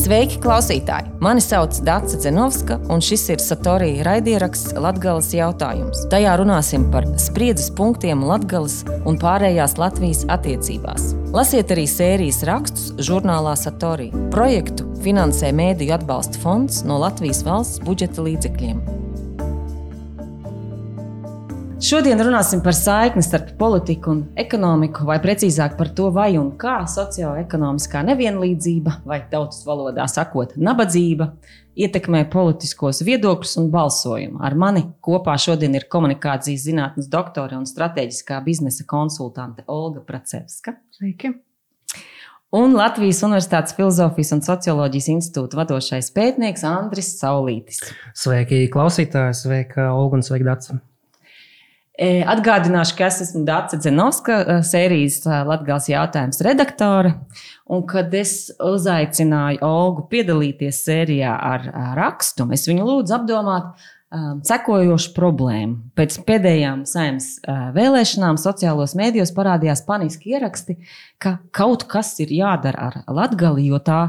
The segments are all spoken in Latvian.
Sveiki, klausītāji! Mani sauc Dace Dzenovska, un šis ir Satorija raidieraksts Latgales jautājums. Tajā runāsim par spriedzes punktiem Latgales un pārējās Latvijas attiecībās. Lasiet arī sērijas rakstus žurnālā Satorija. Projektu finansē Mēdīju atbalsta fonds no Latvijas valsts budžeta līdzekļiem. Šodien runāsim par saikni starp politiku un ekonomiku, vai precīzāk par to, vai un kā socioekonomiskā nevienlīdzība, vai tautas valodā sakot, nabadzība, ietekmē politiskos viedokļus un balsojumu. Ar mani kopā šodien ir komunikācijas zinātnes doktore un strateģiskā biznesa konsultante Olga Pracevska. Sveiki! Un Latvijas Universitātes Filozofijas un socioloģijas institūta vadošais pētnieks Andris Saulītis. Sveiki, klausītāji! Sveika, Olga, un sveika, Dace! Atgādināšu, ka es esmu Dace Dzenovska, sērijas Latgales jautājums redaktore, un kad es uzaicināju Olgu piedalīties sērijā ar rakstu, es viņu lūdzu apdomāt sekojošu problēmu. Pēc pēdējām Saeimas vēlēšanām sociālos mēdījos parādījās paniski ieraksti, ka kaut kas ir jādara ar Latgali, jo tā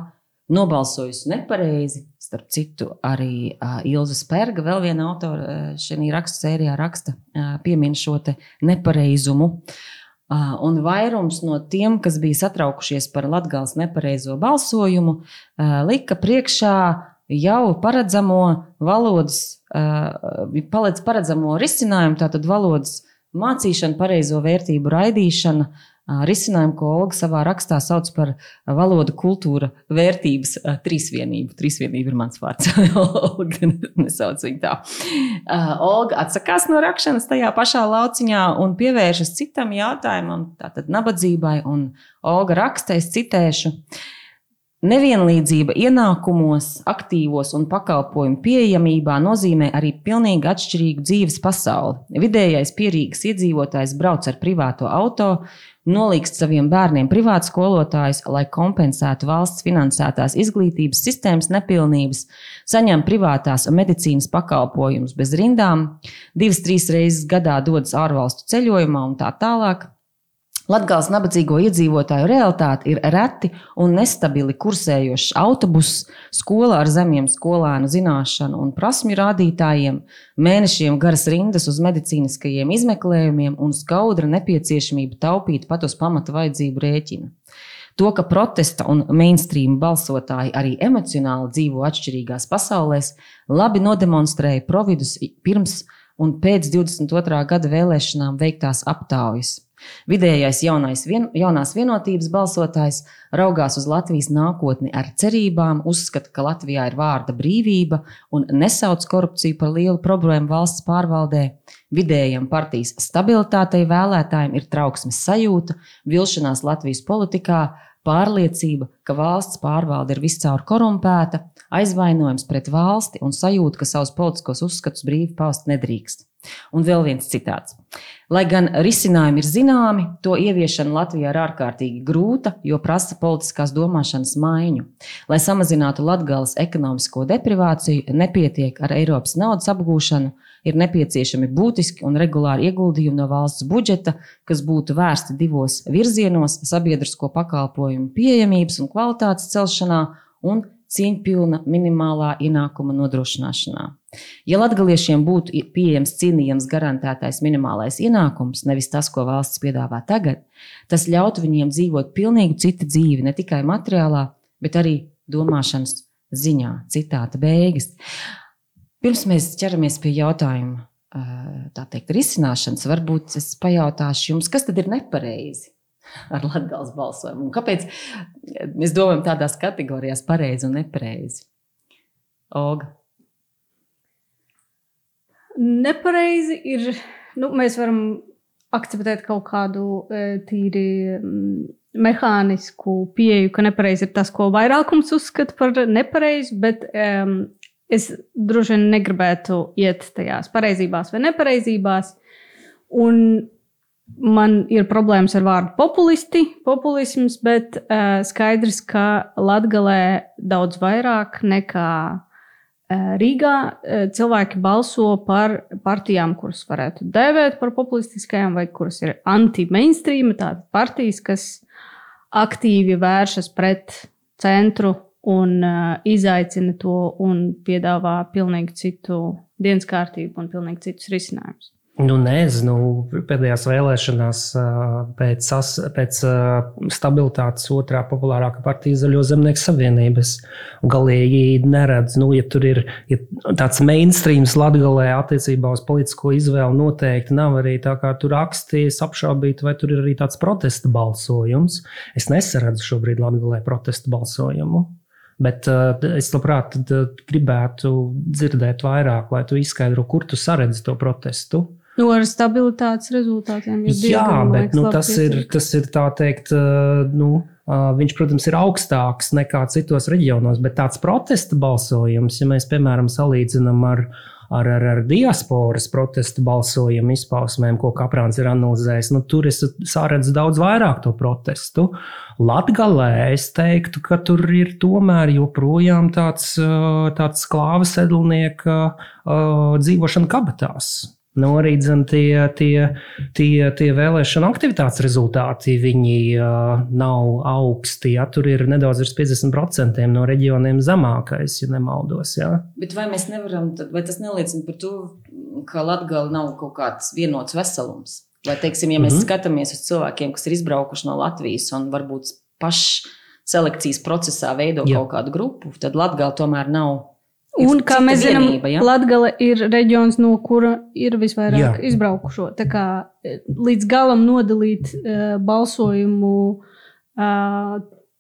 nobalsojusi nepareizi. Starp citu, arī Ilze Sperga, vēl viena autora šajā rakstu sērijā raksta, piemin šo te nepareizumu. Un vairums no tiem, kas bija satraukušies par Latgales nepareizo balsojumu, lika priekšā jau paredzamo paredzamo risinājumu, tātad valodas mācīšana, pareizo vērtību raidīšana, risinājumu, ko Olga savā rakstā sauc par valodu kultūra vērtības trīsvienību. Trīsvienība ir mans vārds. Olga nesauc viņu tā. Olga atsakās no rakšanas tajā pašā lauciņā un pievēršas citam jautājumam, tātad nabadzībai, un Olga raksta, es citēšu: nevienlīdzība ienākumos, aktīvos un pakalpojumu pieejamībā nozīmē arī pilnīgi atšķirīgu dzīves pasauli. Vidējais pierīgas iedzīvotājs brauc ar privāto auto, nolīgst saviem bērniem privātskolotājus, lai kompensētu valsts finansētās izglītības sistēmas nepilnības, saņem privātās medicīnas pakalpojumus bez rindām, 2-3 reizes gadā dodas ārvalstu ceļojumā un tā tālāk. Latgales nabadzīgo iedzīvotāju realitāte ir reti un nestabili kursējošs autobuss, skola ar zemiem skolēnu zināšanu un prasmju rādītājiem, mēnešiem garas rindas uz medicīniskajiem izmeklējumiem un skaudra nepieciešamība taupīt pat uz pamata vajadzību rēķina. To, ka protesta un mainstream balsotāji arī emocionāli dzīvo atšķirīgās pasaulēs, labi nodemonstrēja Providus pirms un pēc 22. gada vēlēšanām veiktās aptaujas. Vidējais jaunās vienotības balsotājs raugās uz Latvijas nākotni ar cerībām, uzskata, ka Latvijā ir vārda brīvība un nesauc korupciju par lielu problēmu valsts pārvaldē. Vidējam partijas stabilitātei vēlētājiem ir trauksmes sajūta, vilšanās Latvijas politikā, pārliecība, ka valsts pārvalde ir viscaur korumpēta, aizvainojums pret valsti un sajūta, ka savus politiskos uzskatus brīvi paust nedrīkst. Un vēl viens citāts. Lai gan risinājumi ir zināmi, to ieviešana Latvijā ir ārkārtīgi grūta, jo prasa politiskās domāšanas maiņu. Lai samazinātu Latgales ekonomisko deprivāciju, nepietiek ar Eiropas naudas apgūšanu, ir nepieciešami būtiski un regulāri ieguldījumi no valsts budžeta, kas būtu vērsti divos virzienos - sabiedrisko pakalpojumu pieejamības un kvalitātes celšanā un cieņpilna minimālā ienākuma nodrošināšanā. Ja latgaliešiem būtu pieejams cienījams garantētais minimālais ienākums, nevis tas, ko valsts piedāvā tagad, tas ļautu viņiem dzīvot pilnīgi citu dzīvi, ne tikai materiālā, bet arī domāšanas ziņā. Citāta beigas. Pirms mēs ķeramies pie jautājuma, tā teikt, risināšanas, varbūt es pajautāšu jums, kas tad ir nepareizi ar Latgales balsojumu? Un kāpēc mēs domājam tādās kategorijās pareizi un nepareizi? Olga? Nepareizi ir, mēs varam akceptēt kaut kādu tīri mehānisku pieeju, ka nepareizi ir tas, ko vairākums uzskata par nepareizi, bet es droši vien negribētu iet tajās pareizībās vai nepareizībās. Un man ir problēmas ar vārdu populisms, bet skaidrs, ka Latgalē daudz vairāk nekā Rīgā cilvēki balso par partijām, kuras varētu dēvēt par populistiskajām vai kuras ir anti-mainstream, tādas partijas, kas aktīvi vēršas pret centru un izaicina to un piedāvā pilnīgi citu dienas kārtību un pilnīgi citus risinājumus. Nu, nezinu, pēdējās vēlēšanās pēc stabilitātes otrā populārākā partija Zaļo zemnieku savienības galīgi neredz. Nu, ja tur ir tāds mainstreams Latgalē attiecībā uz politisko izvēlu noteikti nav arī tā kā tur raksties apšaubīt, vai tur ir arī tāds protesta balsojums. Es nesaredzu šobrīd Latgalē protesta balsojumu. Bet es labprāt gribētu dzirdēt vairāk, lai tu izskaidro, kur tu saredzi to protestu. Nu, ar stabilitātes rezultātiem ir Jā, bet tas ir tā teikt, viņš, protams, ir augstāks nekā citos reģionos, bet tāds protesta balsojums, ja mēs, piemēram, salīdzinām ar diasporas protesta balsojumu izpausmēm, ko Kaprāns ir analizējis, tur es saredzu daudz vairāk to protestu. Latgalē es teiktu, ka tur ir tomēr joprojām tāds klāva sedlnieka dzīvošana kabatās. Arī tie vēlēšana aktivitātes rezultāti, viņi nav augsti. Ja? Tur ir nedaudz virs 50% no reģioniem zemākais, ja nemaldos. Ja? Bet vai mēs nevaram, vai tas neliecina par to, ka Latgala nav kaut kāds vienots veselums? Vai, teiksim, ja mēs skatāmies uz cilvēkiem, kas ir izbraukuši no Latvijas un varbūt pašselekcijas procesā veido kaut kādu grupu, tad Latgala tomēr nav. Un, kā mēs zinām, Latgale ir reģions, no kura ir visvairāk izbraukušo. Tā kā līdz galam nodalīt balsojumu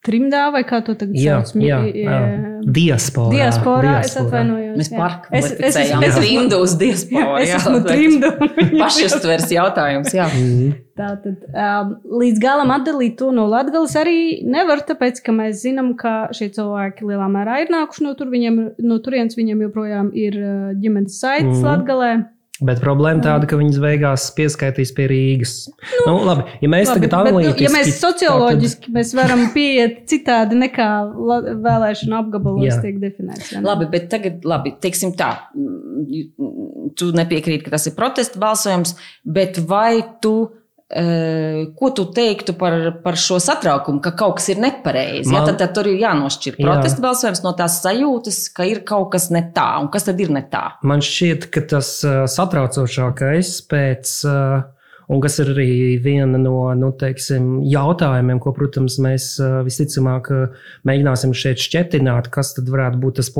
trimdā, vai kā to tagad sauc? Diasporā. Es atvainojos. Mēs pārkvalificējām trimdu uz diasporu. Es esmu trimdu. Pašustvers jautājums, jā. Tātad līdz galam atdalīt to no Latgales arī nevar, tāpēc, ka mēs zinām, ka šie cilvēki lielā mērā ir nākuši no turienes, viņiem joprojām ir ģimenes saites Latgalē. Bet problēma tāda, ka viņas beigās pieskaitīs pie Rīgas. Labi, ja mēs tagad analītiski... Ja mēs socioloģiski mēs varam pieiet citādi nekā vēlēšana apgabalos tiek definēts. Labi, bet tagad, teiksim tā, tu nepiekrīt, ka tas ir protesta balsojums, bet vai tu... Ko tu teiktu par šo satraukumu, ka kaut kas ir nepareizi? Tad tur ir jānošķir protesta balsojums no tās sajūtas, ka ir kaut kas ne tā. Un kas tad ir ne tā? Man šķiet, ka tas satraucošākais un kas ir arī viena no jautājumiem, ko, protams, mēs visticamāk mēģināsim šeit šķetināt, kas tad varētu būt tas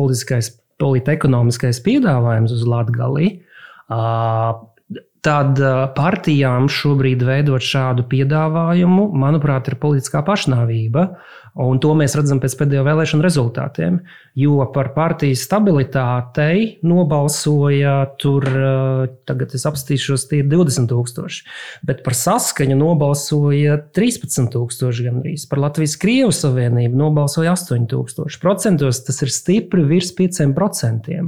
politekonomiskais piedāvājums uz Latgali. Tad partijām šobrīd veidot šādu piedāvājumu, manuprāt, ir politiskā pašnāvība. Un to mēs redzam pēc pēdējo vēlēšanu rezultātiem. Jo par partijas stabilitātei nobalsoja tur, tagad es apstīšos, tie ir 20,000. Bet par Saskaņu nobalsoja 13,000 gandrīz. Par Latvijas-Krievu savienību nobalsoja 8,000. Procentos tas ir stipri virs 5%.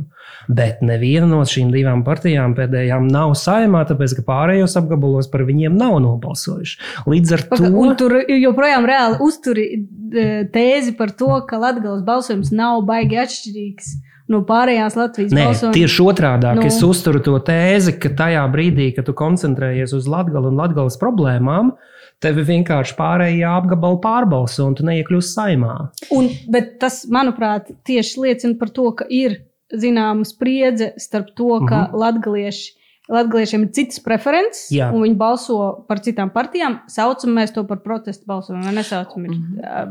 Bet neviena no šīm divām partijām pēdējām nav saimā, tāpēc, ka pārējos apgabalos par viņiem nav nobalsojuši. Līdz ar to... Un tur joprojām reāli uzturi tēzi par to, ka Latgales balsojums nav baigi atšķirīgs no pārējās Latvijas balsojuma. Nē, tieši otrādāk. Es uzturu to tēzi, ka tajā brīdī, kad tu koncentrējies uz Latgali un Latgales problēmām, tevi vienkārši pārējie apgabali pārbalso un tu neiekļūsi saimā. Bet tas, manuprāt, tieši liecina par to, ka ir zināma spriedze starp to, ka latgaliešiem ir citas preferences, un viņi balso par citām partijām. Saucam mēs to par protestu balsojumu, vai nesaucam? Ir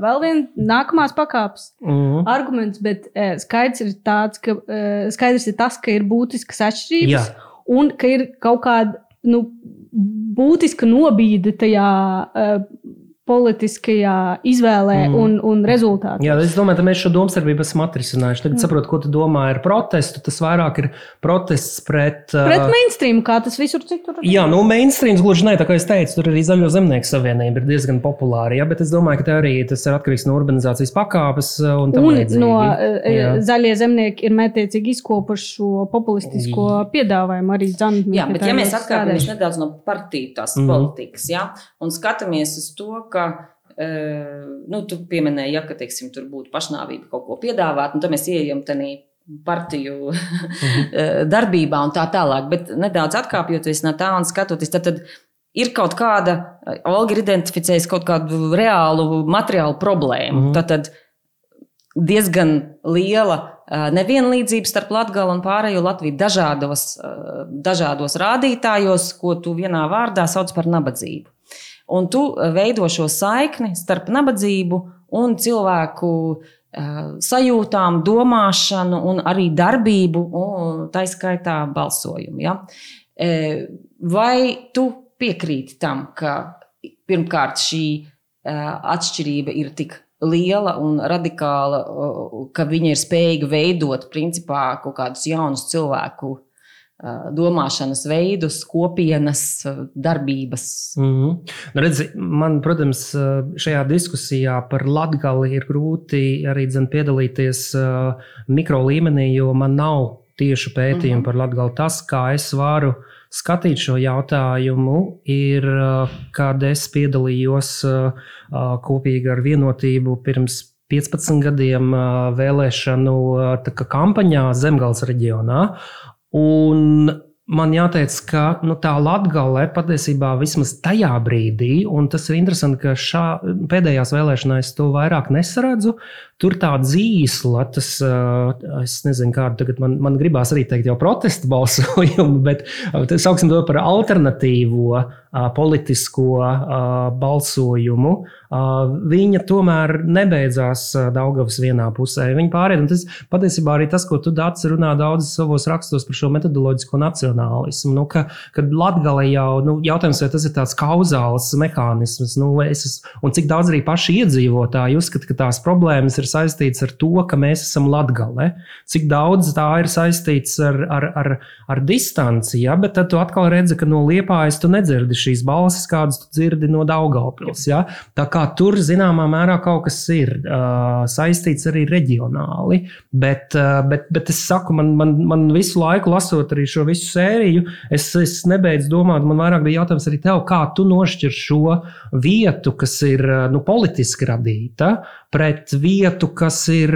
vēl viena nākamās pakāpes arguments, bet skaidrs ir tas, ka ir būtiskas atšķirības, un ka ir kaut kāda būtiska nobīde tajā politiskajā izvēlē un rezultātā. Jā, es domāju, ka mēs šo domstarpību esam atrisinājuši. Tagad saprotu, ko tu domā ar protestu. Tas vairāk ir protests pret mainstream, kā tas visur citur. Jā, mainstreams gluži ne, tā kā es teicu, tur arī Zaļo zemnieku savienība ir diezgan populāra, bet es domāju, ka tas ir atkarīgs no urbanizācijas pakāpes un tam līdzīgi. Zaļie zemnieki ir mētiecīgi izkopuši šo populistisko piedāvājumu arī Zandmīka. Jā, bet ja mēs atkāpjamies nedaudz no partiju tās politikas, un skatāmies uz to, ka tu pieminēji, ka teiksim, tur būtu pašnāvība kaut ko piedāvāt, un tad mēs ieejam tenī partiju darbībā un tā tālāk. Bet nedaudz atkāpjoties no tā un skatoties, tad ir kaut kāda, Olga ir identificējusi kaut kādu reālu materiālu problēmu. Tad diezgan liela nevienlīdzība starp Latgali un pārējo Latviju dažādos rādītājos, ko tu vienā vārdā sauc par nabadzību. Un tu veido šo saikni starp nabadzību un cilvēku sajūtām, domāšanu un arī darbību, un tā skaitā balsojumu. Ja? Vai tu piekrīti tam, ka pirmkārt šī atšķirība ir tik liela un radikāla, ka viņa ir spējīga veidot principā kaut kādus jaunus cilvēku domāšanas veidus, kopienas, darbības? Redzi, man, protams, šajā diskusijā par Latgali ir grūti arī piedalīties mikro līmenī, jo man nav tieši pētījumi par Latgali. Tas, kā es varu skatīt šo jautājumu, ir, kad es piedalījos kopīgi ar Vienotību pirms 15 gadiem vēlēšanu kampaņā Zemgales reģionā. Un man jāteic, ka tā Latgale patiesībā vismaz tajā brīdī, un tas ir interesanti, ka pēdējās vēlēšanās to vairāk nesaredzu, tur tā dzīsla, tas, es nezinu, kādu tagad man gribās arī teikt jau protesta balsojumu, bet sauksim to par alternatīvo politisko balsojumu. Viņa tomēr nebeidzās Daugavas vienā pusē. Viņa pārēd, un tas patiesībā arī tas, ko tu, Dācis, runā daudz savos rakstos par šo metodoloģisko nacionālismu, kad Latgale jau, jautājums, vai tas ir tāds kauzāls mehānisms, un cik daudz arī paši iedzīvotāji uzskata, ka tās problēmas ir saistīts ar to, ka mēs esam Latgale. Cik daudz tā ir saistīts ar distanci, ja? Bet tad tu atkal redzi, ka no Liepājas tu nedzirdi šīs balsis, kādas tu dzirdi no Daugavpils. Ja? Tā kā tur zināmā mērā kaut kas ir saistīts arī reģionāli, bet es saku, man visu laiku lasot arī šo visu sēriju, es nebeidzu domāt, man vairāk bija jautājums arī tev, kā tu nošķir šo vietu, kas ir politiski radīta, pret vietu, kas ir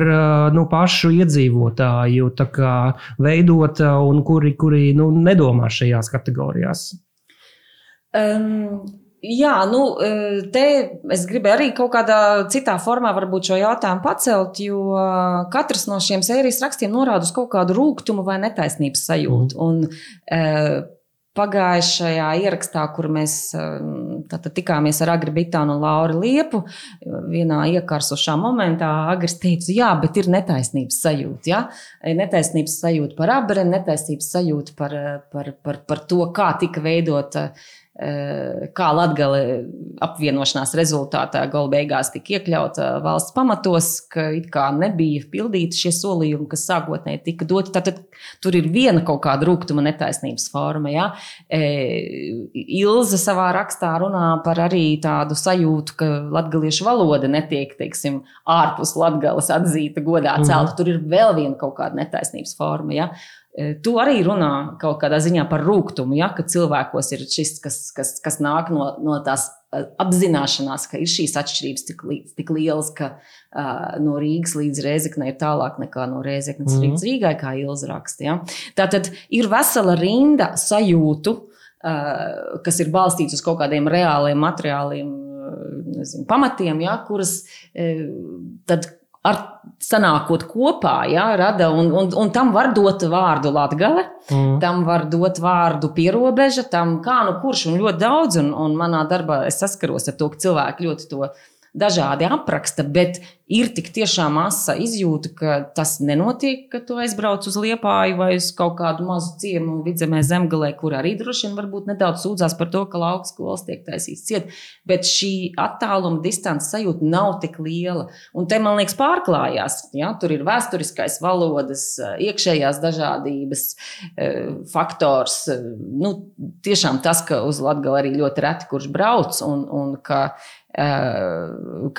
pašu iedzīvotāju tā kā veidota un kuri nedomā šajās kategorijās. Jā, te es gribēju arī kaut kādā citā formā varbūt šo jautājumu pacelt, jo katrs no šiem sērijas rakstiem norāda uz kaut kādu rūgtumu vai netaisnības sajūtu. Un pagājušajā ierakstā, kur mēs tikāmies ar Agri Bitānu un Lauri Liepu, vienā iekarsušā momentā Agris teica, jā, bet ir netaisnības sajūta. Ja? Netaisnības sajūta par Abreni, netaisnības sajūta par to, kā tika veidota, kā Latgale apvienošanās rezultātā gala beigās tika iekļauta valsts pamatos, ka it kā nebija pildīti šie solījumi, kas sākotnēji tika doti. Tātad tur ir viena kaut kāda rūgtuma netaisnības forma. Ja? Ilze savā rakstā runā par arī tādu sajūtu, ka latgaliešu valoda netiek, teiksim, ārpus Latgales atzīta, godā celta. Tur ir vēl viena kaut kāda netaisnības forma. Ja? Tu arī runā kaut kādā ziņā par rūgtumu, ja, ka cilvēkos ir šis, kas nāk no tās apzināšanās, ka ir šīs atšķirības tik lielas, ka no Rīgas līdz Rēzeknei ir tālāk nekā no Rēzeknes līdz Rīgai, kā Ilze raksta. Ja. Tātad ir vesela rinda sajūtu, kas ir balstīts uz kaut kādiem reāliem materiāliem pamatiem, ja, kuras tad ar sanākot kopā, ja, rada, un tam var dot vārdu Latgale, tam var dot vārdu pierobeža, tam kā kurš un ļoti daudz, un manā darbā es saskaros ar to, ka cilvēki ļoti to dažādi apraksta, bet ir tik tiešām asa izjūta, ka tas nenotiek, ka tu aizbrauc uz Liepāju vai uz kaut kādu mazu ciemu Vidzemē Zemgalē, kur arī droši vien varbūt nedaudz sūdzās par to, ka lauku skolas tiek taisīts ciet, bet šī attāluma distances sajūta nav tik liela. Un te, man liekas, pārklājās. Ja? Tur ir vēsturiskais valodas, iekšējās dažādības faktors. Tiešām tas, ka uz Latgali arī ļoti reti kurš brauc un ka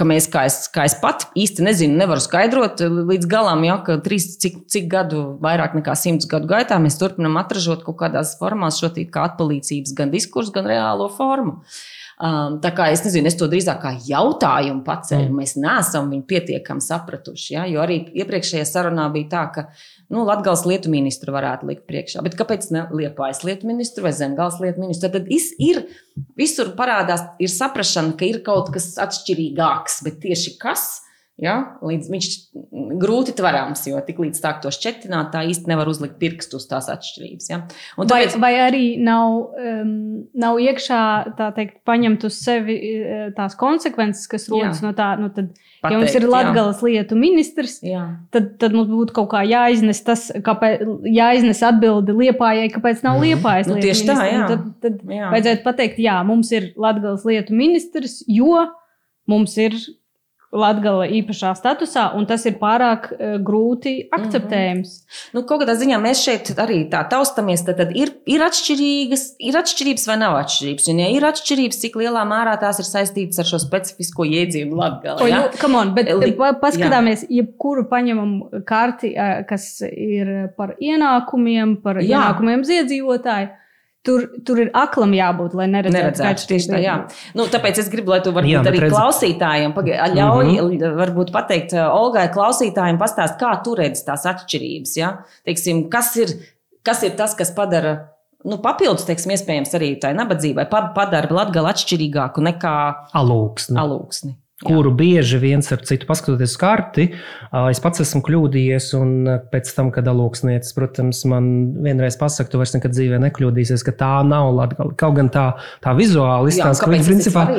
mēs, kā es pat īsti nezinu, nevaru skaidrot līdz galam, ja, ka cik gadu, vairāk nekā 100 gadu gaitā mēs turpinam atražot kaut kādās formās šo kā atpalīdzības gan diskursu, gan reālo formu. Tā kā es nezinu, es to drīzāk kā jautājumu pacēlu, mēs neesam viņu pietiekami sapratuši, ja, jo arī iepriekšējā sarunā bija tā, ka Latgales lietu ministru varētu likt priekšā, bet kāpēc ne Liepājas lietu ministru vai Zemgales lietu ministru? Tad visur parādās, ir saprašana, ka ir kaut kas atšķirīgāks, bet tieši kas, ja, līdz viņš grūti tverams, jo tik līdz tā to šķetināt, tā īsti nevar uzlikt pirkstu uz tās atšķirības. Ja? Vai arī nav iekšā, tā teikt, paņemt uz sevi tās konsekvences, kas rodas no tā, tad, ja mums ir Latgales lietu ministrs, tad mums būtu kaut kā jāiznes tas, jāiznes atbildi Liepājai, kāpēc nav Liepājas lietu ministrs. Tā, jā. Tad vajadzētu pateikt, mums ir Latgales lietu ministrs, jo mums ir Latgala īpašā statusā, un tas ir pārāk grūti akceptējams. Kaut kādā ziņā mēs šeit arī tā taustamies, tad ir atšķirības vai nav atšķirības. Un ja ir atšķirības, cik lielā mērā tās ir saistītas ar šo specifisko jēdzienu Latgala. Ja? Bet paskatāmies, jebkuru paņemam karti, kas ir par ienākumiem, ienākumiem ziedzīvotāji. Tur ir aklam jābūt, lai neredzētu tieši tā, jā. Tāpēc es gribu, lai tu varbūt arī klausītājiem ļauj varbūt pateikt Olgai klausītājiem pastāst, kā tu redzi tās atšķirības, ja? Teiksim, kas ir tas, kas padara, papildus, teiksim, iespējams arī tai nabadzībai, padara Latgali atšķirīgāku nekā Alūksni. Kuru bieži viens ar citu paskatoties uz karti, es pats esmu kļūdījies, un pēc tam, kad Alūksnietis, protams, man vienreiz pasaka, tu vairs nekad dzīvē nekļūdīsies, ka tā nav Latgale. Kaut gan tā vizuāli izstāsta, ka viņi principā,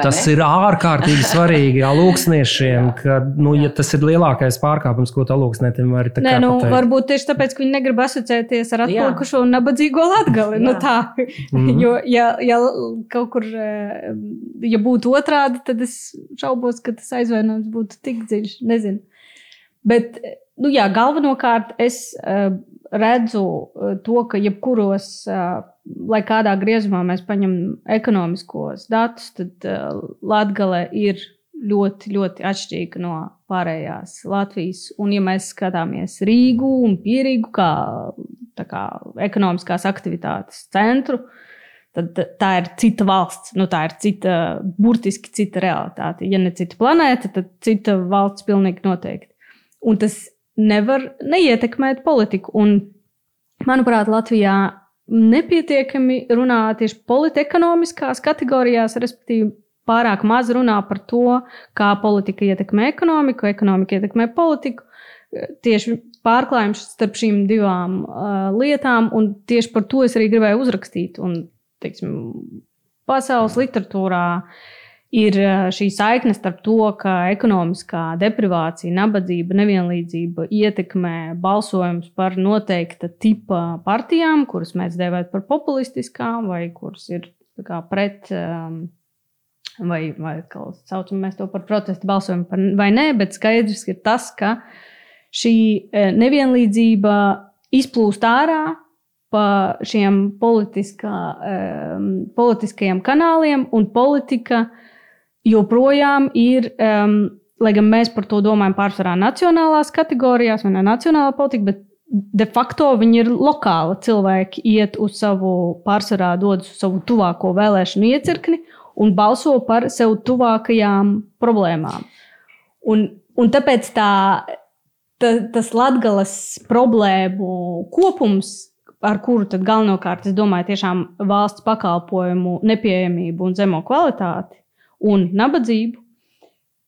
tas ir ārkārtīgi svarīgi Alūksniešiem, ka, ja tas ir lielākais pārkāpums, ko tu Alūksnietim vari tā kā pateikt. Varbūt tieši tāpēc, ka viņi negrib asociēties ar atpalikušo un nabadzīgo Latgali. Jo, ja kaut kur, ja būtu otrādi, tad es šaubos, ka tas aizvainojums būtu tik dziļš, nezinu. Bet, galvenokārt es redzu to, ka jebkuros, lai kādā griezumā mēs paņemam ekonomiskos datus, tad Latgale ir ļoti, ļoti atšķirīga no pārējās Latvijas. Un ja mēs skatāmies Rīgu un Pierīgu kā ekonomiskās aktivitātes centru, tad tā ir cita valsts, tā ir burtiski cita realitāte. Ja ne cita planēta, tad cita valsts pilnīgi noteikti. Un tas nevar neietekmēt politiku. Un, manuprāt, Latvijā nepietiekami runā tieši politekonomiskās kategorijās, respektīvi pārāk maz runā par to, kā politika ietekmē ekonomiku, ekonomika ietekmē politiku. Tieši pārklājums starp šīm divām lietām, un tieši par to es arī gribēju uzrakstīt. Un, pasaules literatūrā ir šī saikne starp to, ka ekonomiskā deprivācija, nabadzība, nevienlīdzība ietekmē balsojums par noteikta tipa partijām, kuras mēs dēvētu par populistiskām, vai kuras ir pret, vai kā saucam mēs to par protestu balsojumu vai nē, bet skaidrs ir tas, ka šī nevienlīdzība izplūst ārā pa šiem politiskajiem kanāliem, un politika joprojām ir, lai gan mēs par to domājam pārsvarā nacionālās kategorijās, vai ne nacionālā politika, bet de facto viņi ir lokāli. Cilvēki iet uz pārsvarā dodas uz savu tuvāko vēlēšanu iecirkni un balso par sev tuvākajām problēmām. Un tāpēc tas Latgales problēmu kopums, ar kuru tad galvenokārt, es domāju, tiešām valsts pakalpojumu nepieejamību un zemo kvalitāti un nabadzību,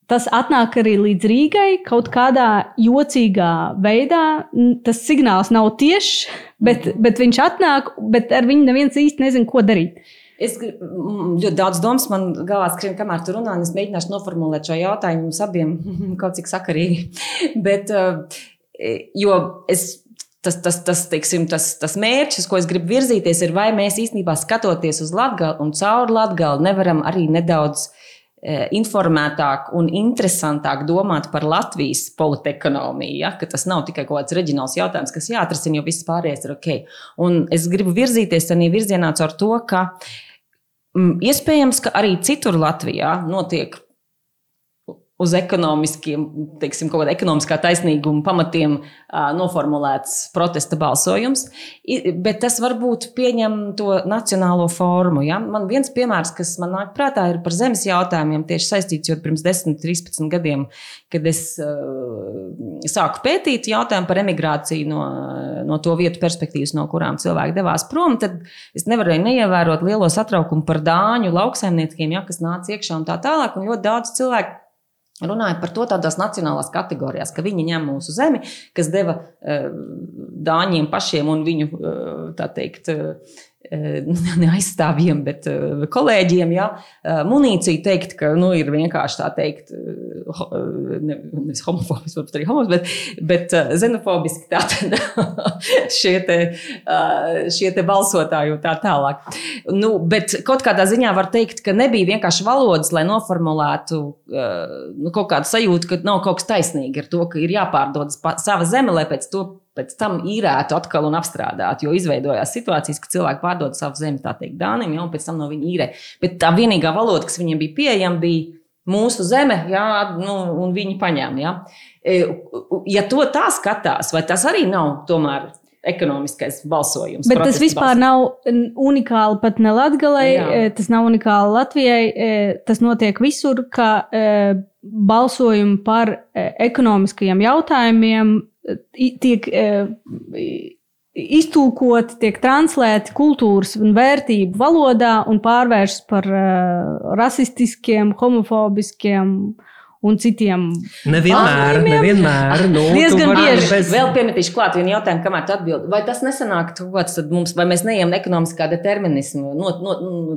tas atnāk arī līdz Rīgai kaut kādā jocīgā veidā. Tas signāls nav tiešs, bet viņš atnāk, bet ar viņu neviens īsti nezin, ko darīt. Ļoti daudz domas man galvā skrien, kamēr tu runā, un es mēģināšu noformulēt šo jautājumu mums abiem kaut cik sakarīgi. Bet, jo tas mērķis, ko es gribu virzīties, ir, vai mēs īstenībā skatoties uz Latgali un caur Latgali nevaram arī nedaudz informētāk un interesantāk domāt par Latvijas politekonomiju, ja? Ka tas nav tikai kaut kāds reģionāls jautājums, kas jāatrisina, jo viss pārējais ir ok. Un es gribu virzīties arī virzienā caur to, ka iespējams, ka arī citur Latvijā notiek uz ekonomiskiem, teiksim, kaut kāda ekonomiskā taisnīguma pamatiem noformulēts protesta balsojums, bet tas varbūt pieņem to nacionālo formu. Ja? Man viens piemērs, kas man nāk prātā, ir par zemes jautājumiem tieši saistīts, jo pirms 10-13 gadiem, kad es sāku pētīt jautājumu par emigrāciju no to vietu perspektīvas, no kurām cilvēki devās prom, tad es nevarēju neievērot lielo satraukumu par dāņu lauksaimniekiem, ja, kas nāca iekšā un tā tālāk, un ļoti daudz cilvēku runāja par to tādās nacionālās kategorijās, ka viņi ņem mūsu zemi, kas deva dāņiem pašiem un viņu, tā teikt, ne aizstāvjiem, bet kolēģiem, ja, munīciju teikt, ka, ir vienkārši tā teikt, nevis homofobiski, varbūt arī homofobiski, bet xenofobiski tātad šie te balsotāji un tā tālāk. Bet kaut kādā ziņā var teikt, ka nebija vienkārši valodas, lai noformulētu kaut kādu sajūtu, ka nav kaut kas taisnīgi ar to, ka ir jāpārdod sava zeme, lai pēc tam īrētu atkal un apstrādāt, jo izveidojās situācijas, ka cilvēki pārdod savu zemi, tā teikt, dānim, un pēc tam no viņa īrē. Bet tā vienīgā valoda, kas viņiem bija pieejama, bija mūsu zeme, un viņi paņēma. Ja? Ja to tā skatās, vai tas arī nav tomēr ekonomiskais balsojums? Bet tas vispār nav unikāli pat ne Latgalei, tas nav unikāli Latvijai, tas notiek visur, ka balsojumi par ekonomiskajiem jautājumiem tiek iztulkoti, tiek translēti kultūras un vērtību valodā un pārvēršas par rasistiskiem, homofobiskiem un citiem. Nevienmēr. Diezgan bieži. Vēl piemetīšu klāt vienu jautājumu, kamēr tu atbildi. Vai tas nesanāk tad mums, vai mēs neejam ekonomiskā determinismu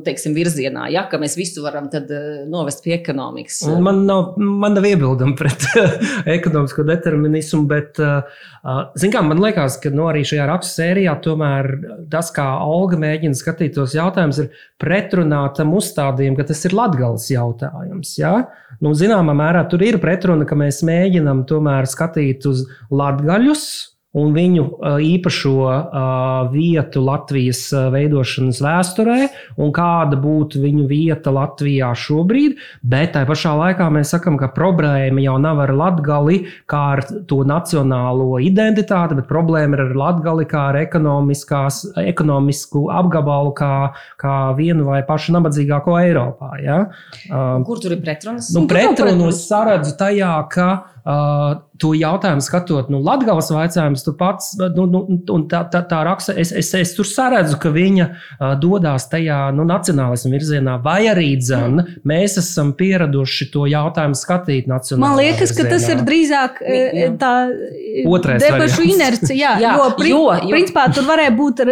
teiksim, virzienā, ja, ka mēs visu varam tad novest pie ekonomikas? Man nav iebildumi pret ekonomisko determinismu, bet, man liekas, ka arī šajā rakstu sērijā tomēr tas, kā Olga mēģina skatīt tos jautājumus, ir pretrunā tam uzstādījumu, ka tas ir Latgales jautājums, ja? Zināmā mērā tur ir pretruna, ka mēs mēģinam tomēr skatīt uz latgaļus un viņu īpašo vietu Latvijas veidošanas vēsturē un kāda būtu viņu vieta Latvijā šobrīd, bet tai pašā laikā mēs sakam, ka problēma jau nav ar Latgali kā ar to nacionālo identitāti, bet problēma ir ar Latgali kā ar ekonomisku apgabalu kā vienu vai pašu nabadzīgāko Eiropā. Ja? Kur tur ir pretrunas? Pretrunu es saredzu tajā, ka to jautājumu skatot, Latgales vaicājums, tu pats, un tā raksta, es tur saredzu, ka viņa dodās tajā nacionālismu virzienā, vai arī mēs esam pieraduši to jautājumu skatīt nacionālā Man liekas, virzienā. Ka tas ir drīzāk tā debašu inercija, jo principā tur varēja būt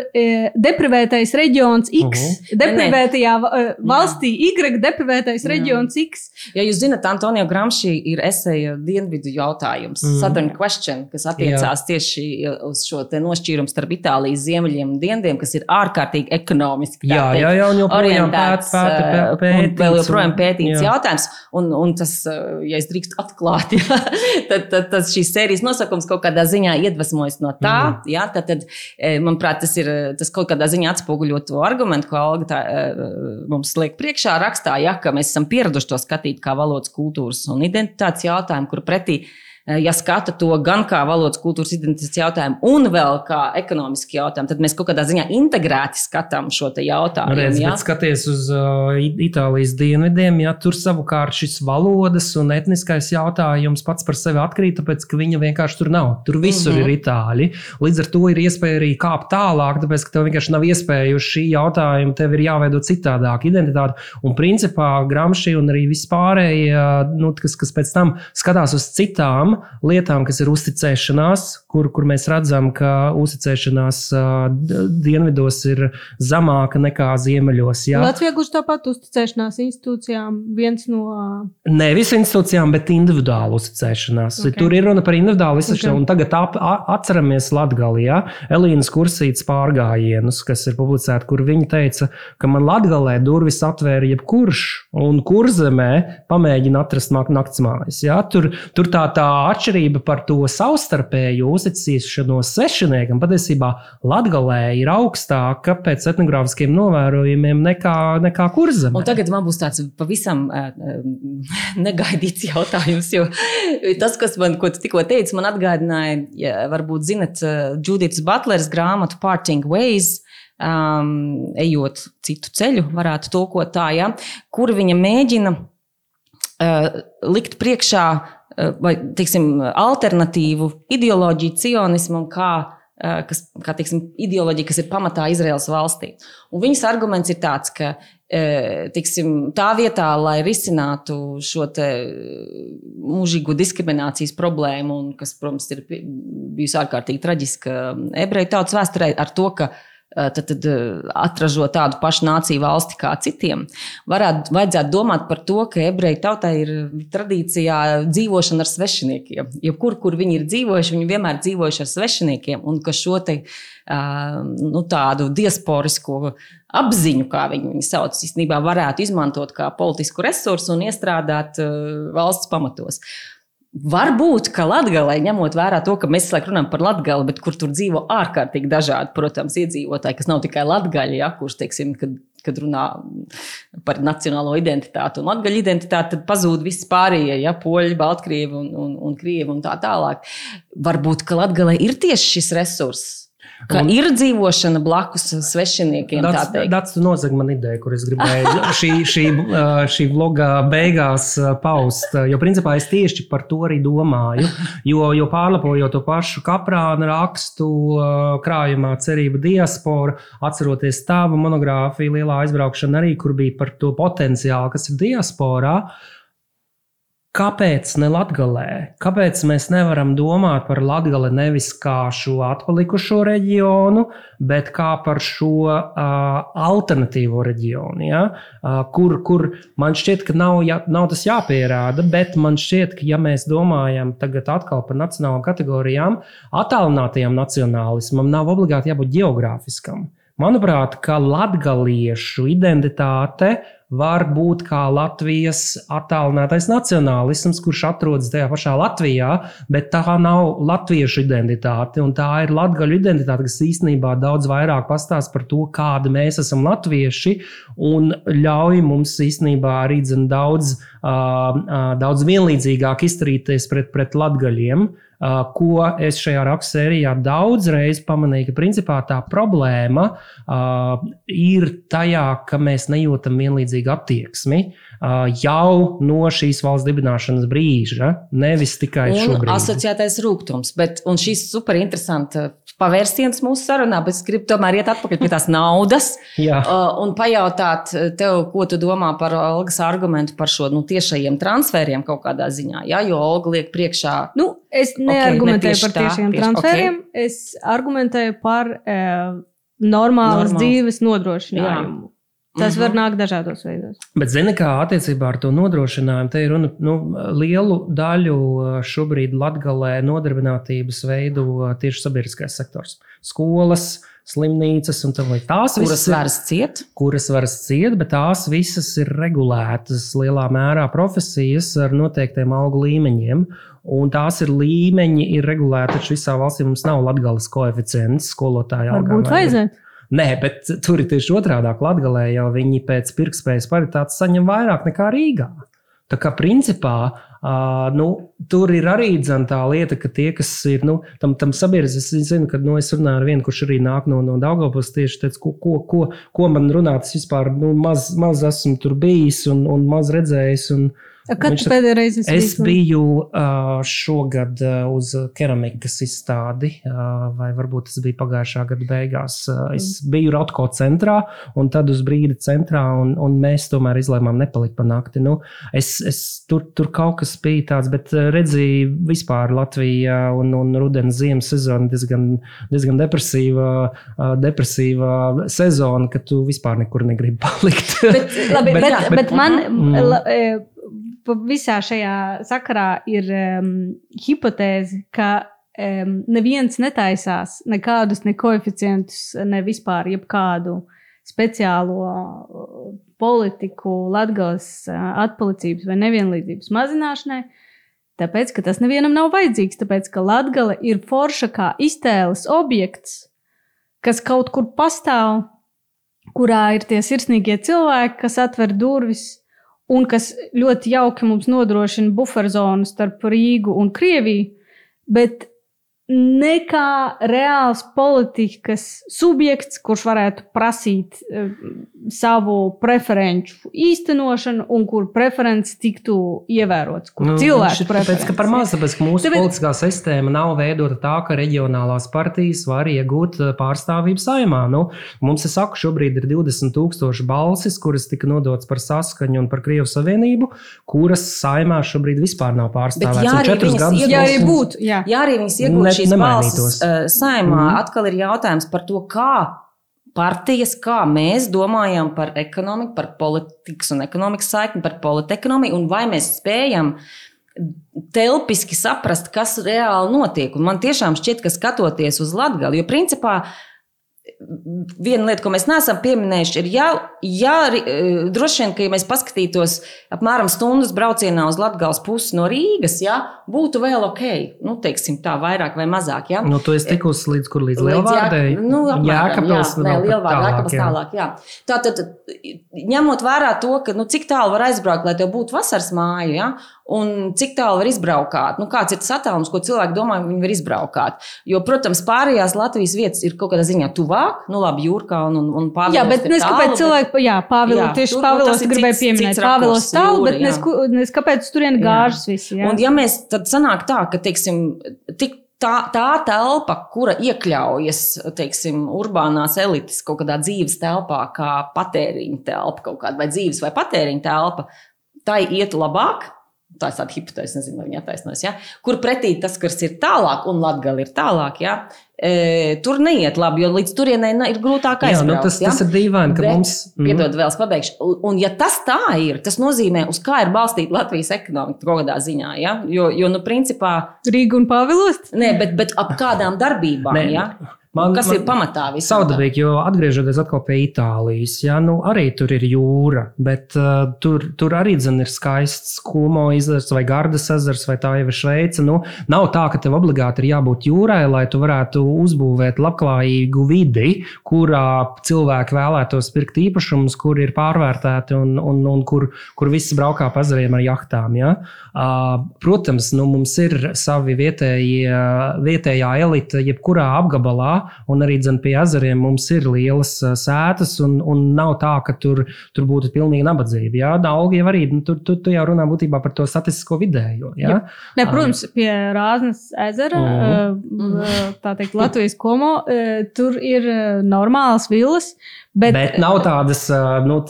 deprivētais reģions X, deprivētajā valstī Y, deprivētais reģions X. Ja jūs zināt, Antonio Gramsci ir eseja dienvidu jautājums, Southern Question, kas attiecās tieši uz šo te nošķīrumu starp Itālijas ziemeļiem un dienvidiem, kas ir ārkārtīgi ekonomiski un orientēts un vēl joprojām pētīts jautājums. Un tas, ja es drīkst atklāt, tad šīs sērijas nosakums kaut kādā ziņā iedvesmojas no tā. Tad, manuprāt, tas kaut kādā ziņā atspoguļo to argumentu, ko Olga mums liek priekšā rakstā, ka mēs esam pieraduši to skatīt kā valodas, kultūras un identitātes jautājumu, kur pretī, ja skata to gan kā valodas, kultūras, identitātes jautājumu un vēl kā ekonomiski jautājumu, tad mēs kaut kādā ziņā integrēti skatām šo te jautājumu. Bet skaties uz Itālijas dienvidiem, tur savukārt šis valodas un etniskais jautājums pats par sevi atkrīt, tāpēc, ka viņa vienkārši tur nav. Tur visur ir itāļi. Līdz ar to ir iespēja arī kāpt tālāk, tāpēc, ka tev vienkārši nav iespēja uz šī jautājuma, tev ir jāveido citādāk identitāti. Un principā Gramsci un arī vispārējie, kas pēc tam skatās uz citām lietām, kas ir uzticēšanās, kur mēs redzam, ka uzticēšanās dienvidos ir zemāka nekā ziemeļos. Jā. Latvijā gluži tāpat uzticēšanās institūcijām viens no... Nevis institūcijām, bet individuālu uzticēšanās. Okay. Tur ir runa par individuālu uzticēšanos, un tagad atceramies Latgali, ja? Elīnas Kursītes pārgājienus, kas ir publicēti, kur viņa teica, ka man Latgalē durvis atvēra jebkurš, un Kurzemē pamēģina atrast naktsmājas. Ja? Tur tā atšķirība par to savstarpēju uzticēšanos svešiniekam patiesībā Latgalē ir augstāka pēc etnogrāfiskiem novērojumiem nekā Kurzemē. Un tagad man būs tāds pavisam negaidīts jautājums, jo tas, ko tu tikko teici, man atgādināja, varbūt zinat, Judiths Butlers grāmatu Parting Ways, ejot citu ceļu, varētu tulkot tā, ja, kur viņa mēģina likt priekšā vai, teiksim, alternatīvu ideoloģiju cionismam, kā teiksim, ideoloģija, kas ir pamatā Izraēlas valstī. Un viņas arguments ir tāds, ka tiksim, tā vietā, lai risinātu šo te mūžīgo diskriminācijas problēmu, un kas, protams, ir bijusi ārkārtīgi traģiska ebreju tautas vēsturē ar to, ka tad atražo tādu pašu nāciju valsti kā citiem, vajadzētu domāt par to, ka ebreju tautai ir tradīcijā dzīvošana ar svešiniekiem. Kur viņi ir dzīvojuši, viņi vienmēr dzīvojuši ar svešiniekiem, un ka šo te tādu diasporisko apziņu, kā viņi sauc, īstenībā varētu izmantot kā politisku resursu un iestrādāt valsts pamatos. Varbūt, ka Latgalē, ņemot vērā to, ka mēs runājam par Latgali, bet kur tur dzīvo ārkārtīgi dažādi, protams, iedzīvotāji, kas nav tikai latgaļi, kurš, teiksim, kad runā par nacionālo identitāti un latgaļu identitāti, tad pazūd visi pārējie, poļi, baltkrievi un krievi un tā tālāk. Varbūt, ka Latgalē ir tieši šis resurss. Ka ir dzīvošana blakus svešiniekiem, tā teikt. Dats, tu nozag man ideju, kur es gribēju šī vloga beigās paust, jo principā es tieši par to arī domāju, jo pārlapojot to pašu Kaprāna rakstu krājumā Cerība diaspora, atceroties tavu monogrāfiju Lielā aizbraukšana arī, kur bija par to potenciālu, kas ir diasporā. Kāpēc ne Latgalē? Kāpēc mēs nevaram domāt par Latgali nevis kā šo atpalikušo reģionu, bet kā par šo alternatīvo reģionu? Ja? Kur man šķiet, ka nav tas jāpierāda, bet man šķiet, ka ja mēs domājam tagad atkal par nacionālām kategorijām, attālinātajām nacionālismam nav obligāti jābūt geogrāfiskam. Manuprāt, ka latgaliešu identitāte var būt kā Latvijas attālinātais nacionālisms, kurš atrodas tajā pašā Latvijā, bet tā nav latviešu identitāte, un tā ir latgaļu identitāte, kas īstenībā daudz vairāk pastāst par to, kādi mēs esam latvieši, un ļauj mums īstenībā arī daudz vienlīdzīgāk izturīties pret latgaļiem, ko es šajā rakstsērijā daudzreiz pamanīju, ka principā tā problēma ir tajā, ka mēs nejūtam vienlīdzīgu attieksmi jau no šīs valsts dibināšanas brīža, nevis tikai šobrīd. Un asociētais rūgtums, un šis super interesanta pavērsiens mūsu sarunā, bet es gribu tomēr iet atpakaļ pie tās naudas un pajautāt tev, ko tu domā par Olgas argumentu par šo tiešajiem transferiem kaut kādā ziņā, jo Olga liek priekšā. Es neargumentēju par tiešiem transferiem, es argumentēju par normālas dzīves nodrošinājumu. Tas var nākt dažādos veidos. Bet zini, kā attiecībā ar to nodrošinājumu, te ir runa lielu daļu šobrīd Latgalē nodarbinātības veidu tieši sabiedriskais sektors. Skolas, slimnīcas un tā tās kuras varas ciet, bet tās visas ir regulētas lielā mērā profesijas ar noteiktiem algu līmeņiem. Un tās ir līmeņi, ir regulēti, taču visā valstī mums nav Latgales koeficients skolotāja algām. Varbūt vajadzētu. Nē, bet tur ir tieši otrādāk. Latgalē jau viņi pēc pirktspējas paritātes saņem vairāk nekā Rīgā. Tā kā principā tur ir arī tā lieta, ka tie, kas ir tam sabiedrības, es zinu, ka es runāju ar vienu, kurš arī nāk no Daugavpils, tieši teica, ko man runāt, es vispār maz esmu tur bijis un maz redzējis. Kad tu pēdējā reizi es biju šogad uz keramikas izstādi, vai varbūt tas bija pagājušā gada beigās. Es biju Rotko centrā, un tad uz brīdi centrā, un mēs tomēr izlēmām nepalikt pa nakti. Tur kaut kas bija tāds, bet redzīju vispār Latvijā un rudens ziemas sezona diezgan depresīva sezona, ka tu vispār nekur negribi palikt. Bet man... Visā šajā sakarā ir hipotēze, ka neviens netaisās nekādus ne koeficientus, ne vispār jebkādu speciālo politiku Latgales atpalicības vai nevienlīdzības mazināšanai, tāpēc, ka tas nevienam nav vajadzīgs, tāpēc, ka Latgale ir forša kā iztēles objekts, kas kaut kur pastāv, kurā ir tie sirsnīgie cilvēki, kas atver durvis, un kas ļoti jauki mums nodrošina buferzonu starp Rīgu un Krieviju, bet nekā reāls politikas subjekts, kurš varētu prasīt savu preferenču īstenošanu un kur preferences tiktu ievērotas, kur cilvēku preferences. Tāpēc, ka par maz, tāpēc, ka mūsu politiskā sistēma nav veidota tā, ka reģionālās partijas var iegūt pārstāvību Saeimā. Mums, es saku, šobrīd ir 20,000 balsis, kuras tika nodotas par Saskaņu un par Krievu Savienību, kuras Saeimā šobrīd vispār nav pārstāvēts. Jā, arī viņas iegūt šīs balsis Saeimā, atkal ir jautājums par to, kā partijas, kā mēs domājam par ekonomiku, par politikas un ekonomikas saikni, par politekonomiju, un vai mēs spējam telpiski saprast, kas reāli notiek. Un man tiešām šķiet, ka skatoties uz Latgali, jo principā viena lieta, ko mēs neesam pieminējuši, ir, droši vien, ka ja mēs paskatītos apmēram stundas braucienā uz Latgales pusi no Rīgas, būtu vēl ok, teiksim tā, vairāk vai mazāk. Tu esi tikusi līdz Lielvārdei? Jēkabpils tālāk. Tātad, ņemot vērā to, ka cik tālu var aizbraukt, lai tev būtu vasaras māja, un cik tālu var izbraukāt, kāds ir tas attālums, ko cilvēki domā, ka viņi var izbraukāt. Jo, protams, pārējās Latvijas vietas ir kaut kādā ziņā tuvāk, labi, Jūrkalna un Pāvilos. Jā, bet nes kāpēc cilvēki, tieši Pāvilos gribēja pieminēt, Pāvilos tālu, bet nes kāpēc turien gāžas visi. Un ja mēs tad sanāk tā, ka, teiksim, tā telpa, kura iekļaujas, teiksim, urbānās elites kaut kādā dzīves telpā, kā patēriņa telpa kaut kāda, vai dzīves vai patēriņa telpa, tai iet labāk. Tā ir tāda hipotēze, nezinu, vai viņi attaisnos, kur pretī tas, kas ir tālāk, un Latgale ir tālāk, tur neiet labi, jo līdz turienei ir grūtāk aizbraukt. Tas ir dīvaini, ka mums... Piedod, vēl es pabeigšu. Un ja tas tā ir, tas nozīmē, uz kā ir balstīta Latvijas ekonomika kaut kādā ziņā, jo principā... Rīga un Pāvilos? Nē, bet ap kādām darbībām, kas ir pamatā visam? Saudabīgi, jo atgriežoties atkal pie Itālijas, arī tur ir jūra, bet tur arī ir skaists Kumo ezers vai Gardas ezers, vai tā jau ir Šveice. Nav tā, ka tev obligāti ir jābūt jūrai, lai tu varētu uzbūvēt labklājīgu vidi, kurā cilvēki vēlētos pirkt īpašumus, kur ir pārvērtēti un kur visi braukā pa ezeriem ar jahtām. Protams, mums ir savi vietējā elite jebkurā apgabalā, un arī pie ezeriem mums ir lielas sētas, un nav tā, ka tur būtu pilnīgi nabadzība. Algi jau arī, tu jau runā būtībā par to statistisko vidējo. Ne, protams, pie Rāznas ezera, tā teikt, Latvijas Komo, tur ir normālas villas, bet nav tādas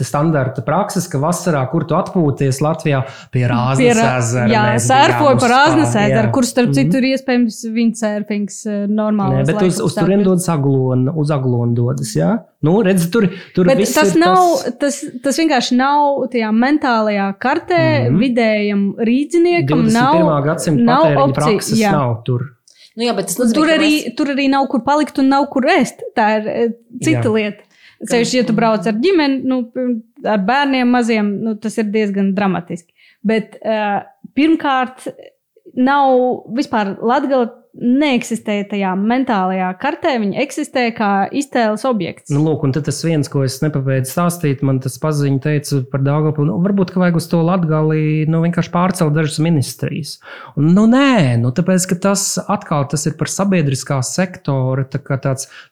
standarta prakses, ka vasarā, kur tu atpūties Latvijā, pie Rāznas ezera. Jā, sērfoju par Rāznas ezeru, kur starp citu ir iespējams windsurfings normālās laikus. Bet uz turien dodas uz Aglonu dodas, redzi, tur viss tas vienkārši nav tajā mentālajā kartē, vidējam rīdziniekam 21. gadsimta patēriņa prakses nav tur. Bet tas nozīmē, tur arī nav kur palikt un nav kur ēst. Tā ir cita lieta. Sevišķi, ja tu brauc ar ģimeni, ar bērniem maziem, tas ir diezgan dramatiski. Bet pirmkārt, nav vispār Latgale neeksistē tajā mentālajā kartē, viņa eksistē kā iztēles objekts. Lūk, un tad tas viens, ko es nepabeidzu stāstīt, man tas paziņa teica par Daugavpili, varbūt, ka vajag uz to Latgali, vienkārši pārcelt dažas ministrijas. Un, nē, tāpēc, ka tas ir par sabiedriskā sektora,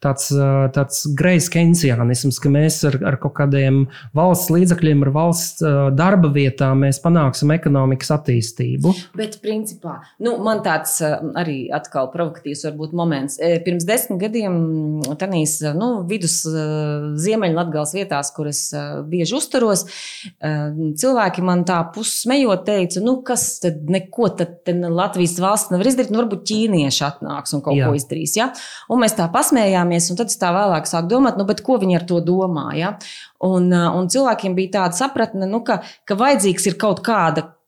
tāds greizs keynesianisms, ka mēs ar kaut kādiem valsts līdzakļiem, ar valsts darba vietām mēs panāksim ekonomikas attīstību. Bet, principā, man tāds arī atkal provokatīvs varbūt moments. Pirms 10 gadiem tanīs, vidus Ziemeļlatgales vietās, kur es bieži uzturos, cilvēki man tā pussmejot teica, kas tad neko tad Latvijas valsts nevar izdarīt, varbūt ķīnieši atnāks un kaut ko izdarīs. Un mēs tā pasmējāmies, un tad es tā vēlāk sāku domāt, bet ko viņi ar to domā? Un cilvēkiem bija tāda sapratne, ka vajadzīgs ir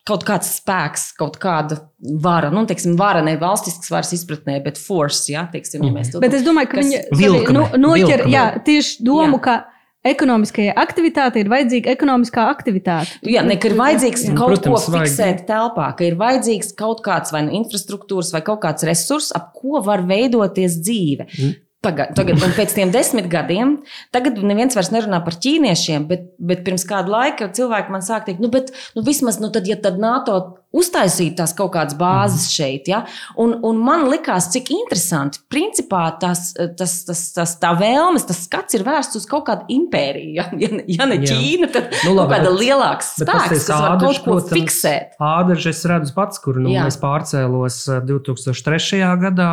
kaut kāds spēks, kaut kāda vara, vara ne valstisks varas izpratnē, bet force, teiksim, ja mēs to... Bet es domāju, ka viņi noķer, tieši domu, ka ekonomiskajai aktivitātei ir vajadzīga ekonomiskā aktivitāte. Ka ir vajadzīgs kaut ko fiksēt telpā, ka ir vajadzīgs kaut kāds vai infrastruktūras vai kaut kāds resurs, ap ko var veidoties dzīve. Tagad, un pēc tiem 10 gadiem, tagad neviens vairs nerunā par ķīniešiem, bet pirms kādu laiku cilvēki man sāk teikt, vismaz, tad NATO uztaisīt tās kaut kādas bāzes šeit. Ja? Un man likās, cik interesanti. Principā tā vēlmes, tas skats ir vērsts uz kaut kādu impēriju. Ja ne Ķīna, tad kaut kāda lielāks spēks, kas var kaut ko fiksēt. Ādaži es redzu pats, kur es pārcēlos 2003. Gadā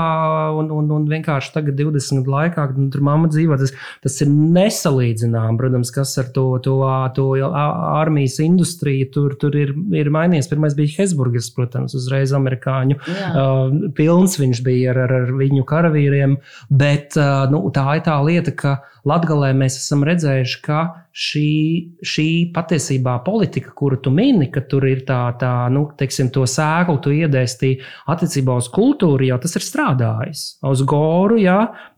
un vienkārši tagad 20 gadu laikā, kad tur mamma dzīvo, tas ir nesalīdzinām, protams, kas ar to armijas industriju tur ir mainījies. Pirmais bija Hesburgers, protams, uzreiz amerikāņu pilns viņš bija ar viņu karavīriem, bet tā ir tā lieta, ka Latgalē mēs esam redzējuši, ka šī patiesībā politika, kuru tu mini, ka tur ir teiksim, to sēklu tu iedēstī attiecībā uz kultūru, jau tas ir strādājis. Uz Goru,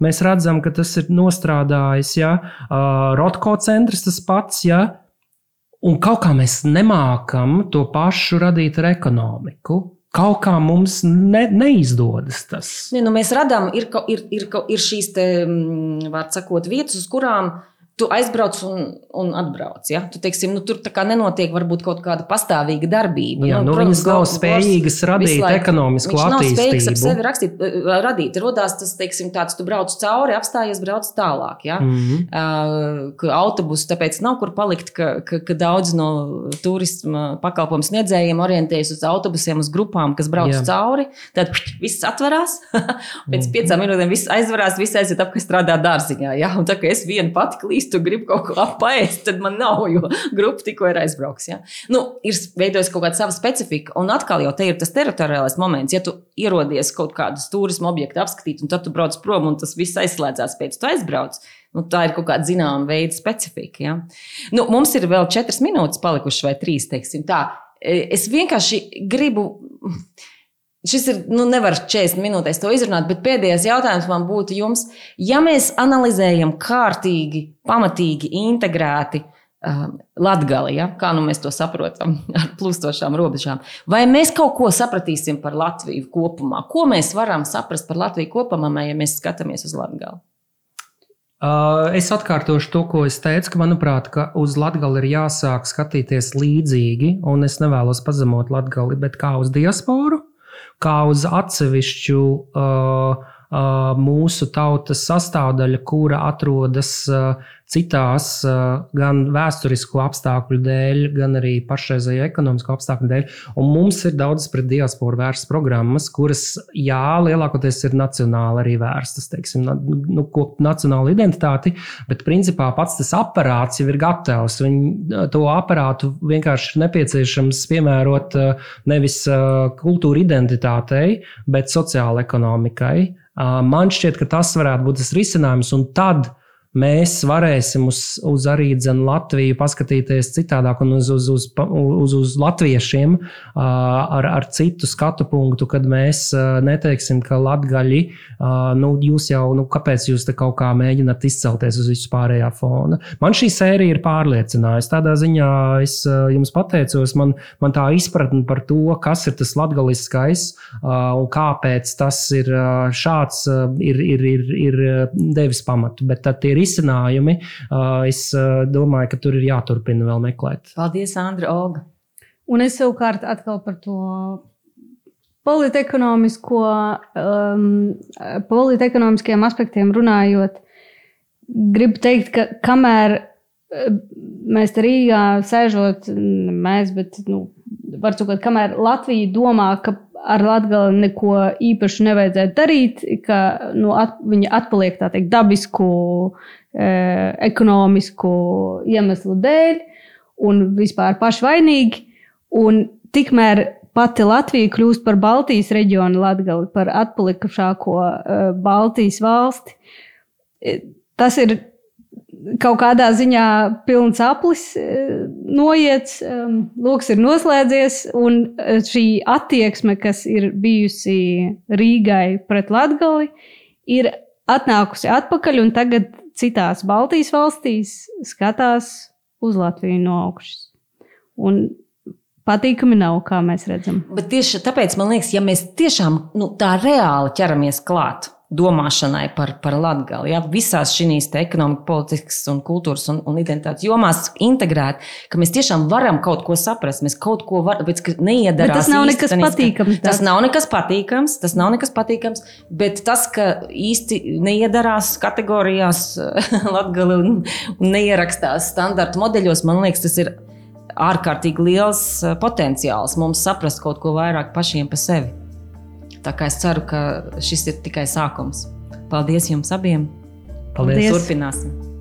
mēs redzam, ka tas ir nostrādājis, Rotko centrs tas pats, un kaut kā mēs nemākam to pašu radīt ar ekonomiku. Kaut kā mums neizdodas tas. Mēs radām, ir šīs vārds sakot, vietas, uz kurām tu aizbrauc un atbrauc. Ja? Tu, teiksim, tur tā kā nenotiek varbūt kaut kāda pastāvīga darbība. Viņas nav spējīgas radīt ekonomisku attīstību. Viņš nav spējīgs ap sevi radīt. Rodās tas, teiksim, tāds, tu brauc cauri, apstājies, brauc tālāk. Ja? Ka autobusu tāpēc nav kur palikt, ka daudz no turisma pakalpojumu sniedzējiem orientējas uz autobusiem, uz grupām, kas brauc cauri. Tad viss atverās. Pēc 5 minūtēm viss aizvarās, viss aiziet apkārt strādā dārziņā. Ja? Un tā kā es vienu pati klīstu, tu gribi kaut ko paēst, tad man nav, jo grupa tikko ir aizbrauks. Ja? Ir veidojis kaut kāda sava specifika, un atkal jau te ir tas teritoriālais moments, ja tu ierodies kaut kādus turismu objektu apskatīt, un tad tu brauc prom, un tas viss aizslēdzās pēc tu aizbrauc. Tā ir kaut kāda zināma veida specifika. Ja? Mums ir vēl 4 minūtes palikušas vai 3, teiksim tā. Es vienkārši gribu... Šis ir, nevar 40 minūtēs to izrunāt, bet pēdējais jautājums man būtu jums. Ja mēs analizējam kārtīgi, pamatīgi, integrēti Latgali, kā mēs to saprotam ar plūstošām robežām, vai mēs kaut ko sapratīsim par Latviju kopumā? Ko mēs varam saprast par Latviju kopumā, ja mēs skatāmies uz Latgali? Es atkārtošu to, ko es teicu, ka, manuprāt, ka uz Latgali ir jāsāk skatīties līdzīgi, un es nevēlos pazemot Latgali, bet kā uz diasporu, kā uz atsevišķu mūsu tautas sastāvdaļa, kura atrodas citās gan vēsturisko apstākļu dēļ, gan arī pašreizējo ekonomisko apstākļu dēļ. Un mums ir daudz pret diasporu vērstas programmas, kuras, lielākoties ir nacionāli arī vērstas, teiksim, kopt nacionālu identitāti, bet principā pats tas aparāts jau ir gatavs. To aparātu vienkārši nepieciešams piemērot nevis kultūra identitātei, bet sociāla ekonomikai. Man šķiet, ka tas varētu būt tas risinājums, un tad mēs varēsim uz arī Latviju paskatīties citādāk un uz latviešiem ar citu skatu punktu, kad mēs neteiksim, ka latgaļi, jūs jau, kāpēc jūs te kaut kā mēģināt izcelties uz visu pārējā fona. Man šī sērija ir pārliecinājusi. Tādā ziņā es jums pateicos, man tā izpratne par to, kas ir tas latgaliskais un kāpēc tas ir šāds, ir devis pamatu. Bet tad tie risinājumi, es domāju, ka tur ir jāturpina vēl meklēt. Paldies, Andra, Olga. Un es savukārt atkal par to politekonomiskajiem aspektiem runājot, gribu teikt, ka kamēr mēs te Rīgā sēžot, var sakot, kamēr Latvija domā, ka ar Latgali neko īpaši nevajadzētu darīt, ka viņa atpaliek tā teikt dabisku, ekonomisku iemeslu dēļ un vispār pašvainīgi. Un tikmēr pati Latvija kļūst par Baltijas reģionu Latgali, par atpalikušāko Baltijas valsti. Tas ir kaut kādā ziņā pilns aplis noiets, loks ir noslēdzies, un šī attieksme, kas ir bijusi Rīgai pret Latgali, ir atnākusi atpakaļ, un tagad citās Baltijas valstīs skatās uz Latviju no augšas. Un patīkami nav, kā mēs redzam. Bet tieši tāpēc, man liekas, ja mēs tiešām tā reāli ķeramies klāt domāšanai par Latgali. Ja? Visās šīs ekonomikas, politikas un kultūras un identitātes jomās integrēt, ka mēs tiešām varam kaut ko saprast, mēs kaut ko varam, bet neiedarās. Bet tas nav nekas patīkams. Tas nav nekas patīkams, bet tas, ka īsti neiedarās kategorijās Latgali un neierakstās standarta modeļos, man liekas, tas ir ārkārtīgi liels potenciāls mums saprast kaut ko vairāk pašiem pa sevi. Tā kā es ceru, ka šis ir tikai sākums. Paldies jums abiem. Paldies. Turpināsim.